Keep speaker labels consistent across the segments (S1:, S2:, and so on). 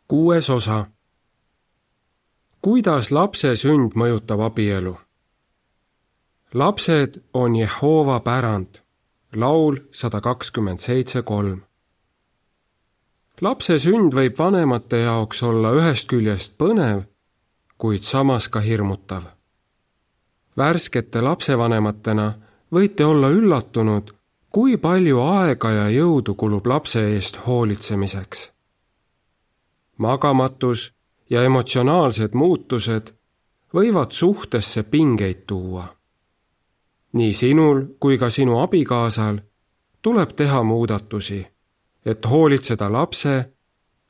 S1: 6. osa. Kuidas lapse sünd mõjutab abielu? Lapsed on Jehova pärand. Laul 127:3. Lapse sünd võib vanemate jaoks olla ühest küljest põnev, kuid samas ka hirmutav. Värskete lapsevanematena võite olla üllatunud, kui palju aega ja jõudu kulub lapse eest hoolitsemiseks. Magamatus ja emotsionaalsed muutused võivad suhtesse pingeid tuua. Nii sinul kui ka sinu abikaasal tuleb teha muudatusi, et hoolitseda lapse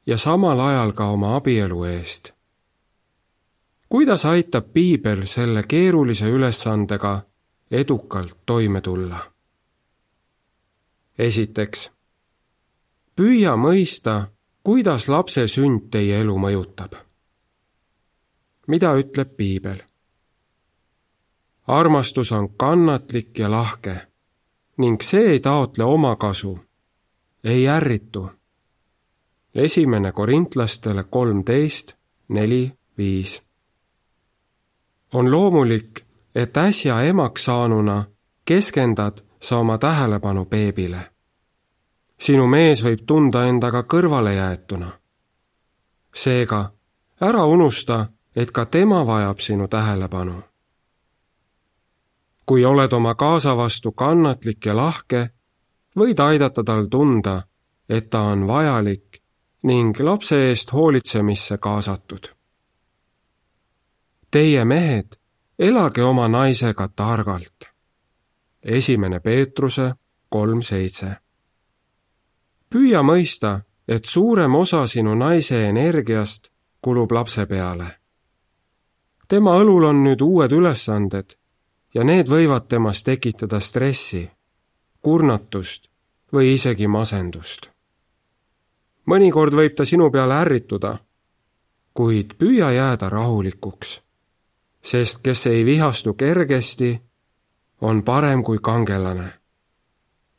S1: ja samal ajal ka oma abielu eest. Kuidas aitab Piibel selle keerulise ülesandega edukalt toime tulla? Esiteks, püüa mõista, kuidas lapse sünd teie elu mõjutab. Mida ütleb Piibel? Armastus on kannatlik ja lahke ning see ei taotle omakasu, ei ärritu. 1. Korintlastele 13:4-5. On loomulik, et äsja emaks saanuna keskendad sa oma tähelepanu beebile. Sinu mees võib tunda endaga kõrvale jäetuna. Seega, ära unusta, et ka tema vajab sinu tähelepanu. Kui oled oma kaasa vastu kannatlik ja lahke, võid aidata tal tunda, et ta on vajalik ning lapse eest hoolitsemisse kaasatud. Teie mehed, elage oma naisega targalt. 1. Peetruse 3:7. Püüa mõista, et suurem osa sinu naise energiast kulub lapse peale. Tema õlul on nüüd uued ülesanded ja need võivad temas tekitada stressi, kurnatust või isegi masendust. Mõnikord võib ta sinu peale ärrituda, kuid püüa jääda rahulikuks, sest kes ei vihastu kergesti, on parem kui kangelane.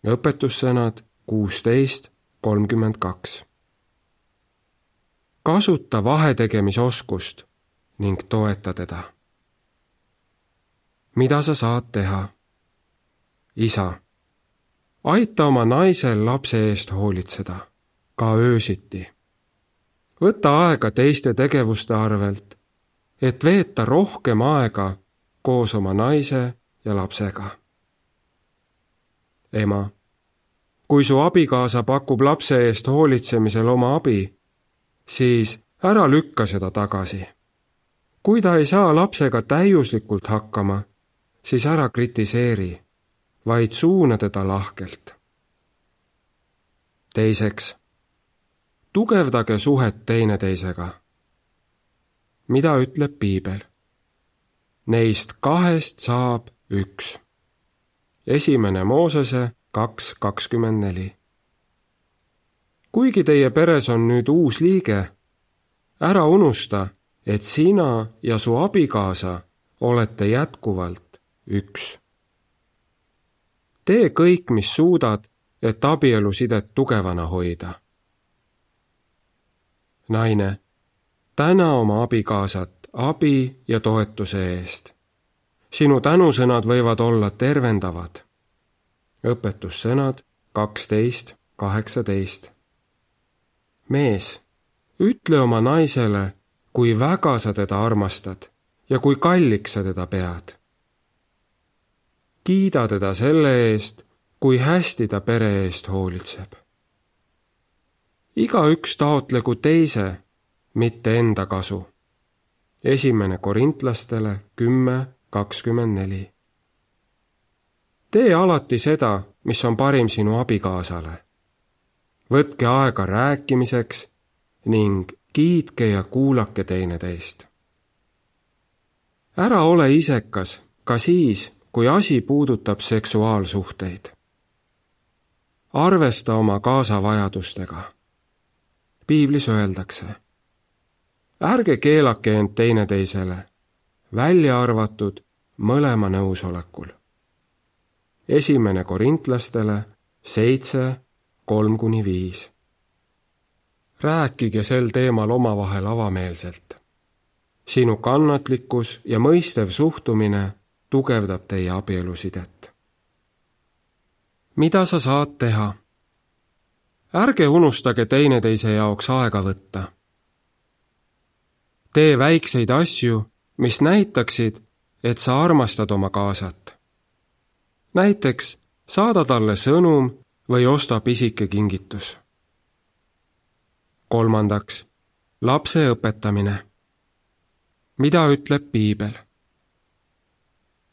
S1: Õpetussõnad 16:32. Kasuta vahetegemisoskust ning toeta teda. Mida sa saad teha? Isa, aita oma naisel lapse eest hoolitseda, ka öösiti. Võta aega teiste tegevuste arvelt, et veeta rohkem aega koos oma naise ja lapsega. Ema, kui su abikaasa pakub lapse eest hoolitsemisel oma abi, siis ära lükka seda tagasi. Kui ta ei saa lapsega täiuslikult hakkama, siis ära kritiseeri, vaid suuna teda lahkelt. Teiseks, tugevdage suhet teineteisega. Mida ütleb Piibel? Neist 2 saab 1. 1. Moosese 2:24. Kuigi teie peres on nüüd uus liige, ära unusta, et sina ja su abikaasa olete jätkuvalt 1. Tee kõik, mis suudad, et abielusidet tugevana hoida. Naine, täna oma abikaasat abi ja toetuse eest. Sinu tänusõnad võivad olla tervendavad. Õpetussõnad 12:18. Mees, ütle oma naisele, kui väga sa teda armastad ja kui kalliks sa teda pead. Kiida teda selle eest, kui hästi ta pere eest hoolitseb. Igaüks taotlegu teise, mitte enda kasu. 1. Korintlastele 10:24. Tee alati seda, mis on parim sinu abikaasale. Võtke aega rääkimiseks ning kiitke ja kuulake teineteist. Ära ole isekas ka siis, kui asi puudutab seksuaalsuhteid. Arvesta oma kaasa vajadustega. Piiblis öeldakse, ärge keelake end teineteisele, välja arvatud mõlema nõusolekul. 1. Korintlastele 7:3-5. rääkige sel teemal omavahel avameelselt. Sinu kannatlikkus ja mõistev suhtumine tugevdab teie abielusidet. Mida sa saad teha? Ärge unustage teineteise jaoks aega võtta. Tee väikseid asju, mis näitaksid, et sa armastad oma kaasat. Näiteks saada talle sõnum või osta pisike kingitus. 3. Lapse õpetamine. Mida ütleb piibel?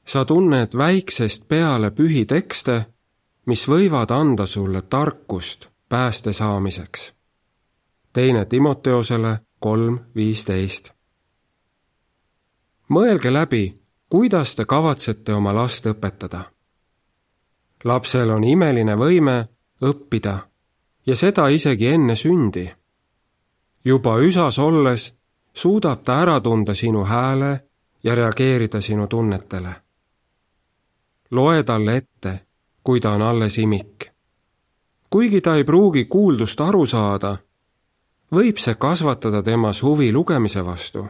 S1: Sa tunned väiksest peale pühi tekste, mis võivad anda sulle tarkust pääste saamiseks. 2. Timoteosele 3:15. Mõelge läbi, kuidas te kavatsete oma last õpetada. Lapsel on imeline võime õppida ja seda isegi enne sündi. Juba üsas olles suudab ta ära tunda sinu hääle ja reageerida sinu tunnetele. Loe talle ette, kui ta on alles imik. Kuigi ta ei pruugi kuuldust aru saada, võib see kasvatada temas huvi lugemise vastu.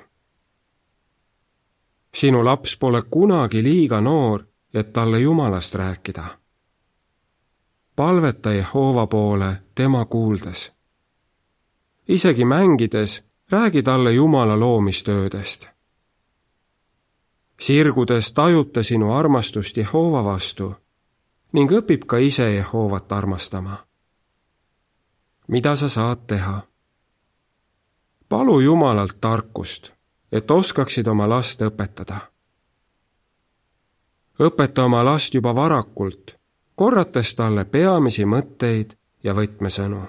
S1: Sinu laps pole kunagi liiga noor, et talle Jumalast rääkida. Palveta Jehoova poole tema kuuldes. Isegi mängides räägi talle Jumala loomistöödest. Sirgudes tajub ta sinu armastust Jehoova vastu ning õpib ka ise Jehoovat armastama. Mida sa saad teha? Palu Jumalalt tarkust, et oskaksid oma last õpetada. Õpeta oma last juba varakult, korrates talle peamisi mõtteid ja võtmesõnu.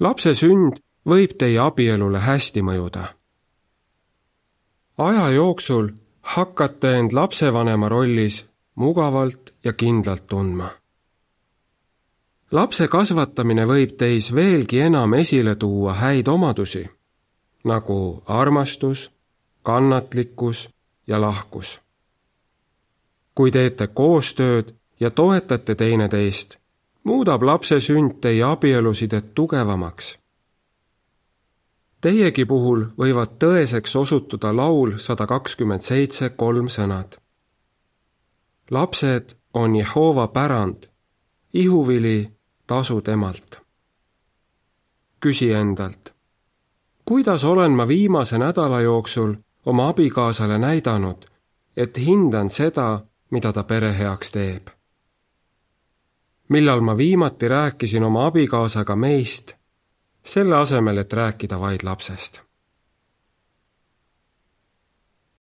S1: Lapse sünd võib teie abielule hästi mõjuda. Aja jooksul hakkate end lapsevanema rollis mugavalt ja kindlalt tundma. Lapse kasvatamine võib teis veelgi enam esile tuua häid omadusi, nagu armastus, kannatlikkus ja lahkus. Kui teete koostööd ja toetate teineteist, muudab lapse sünd teie abielusidet tugevamaks. Teiegi puhul võivad tõeseks osutuda laul 127:3 sõnad. Lapsed on Jehoova pärand, ihuvili tasu temalt. Küsi endalt, kuidas olen ma viimase nädala jooksul oma abikaasale näidanud, et hindan seda, mida ta pere heaks teeb? Millal ma viimati rääkisin oma abikaasaga meist, selle asemel, et rääkida vaid lapsest?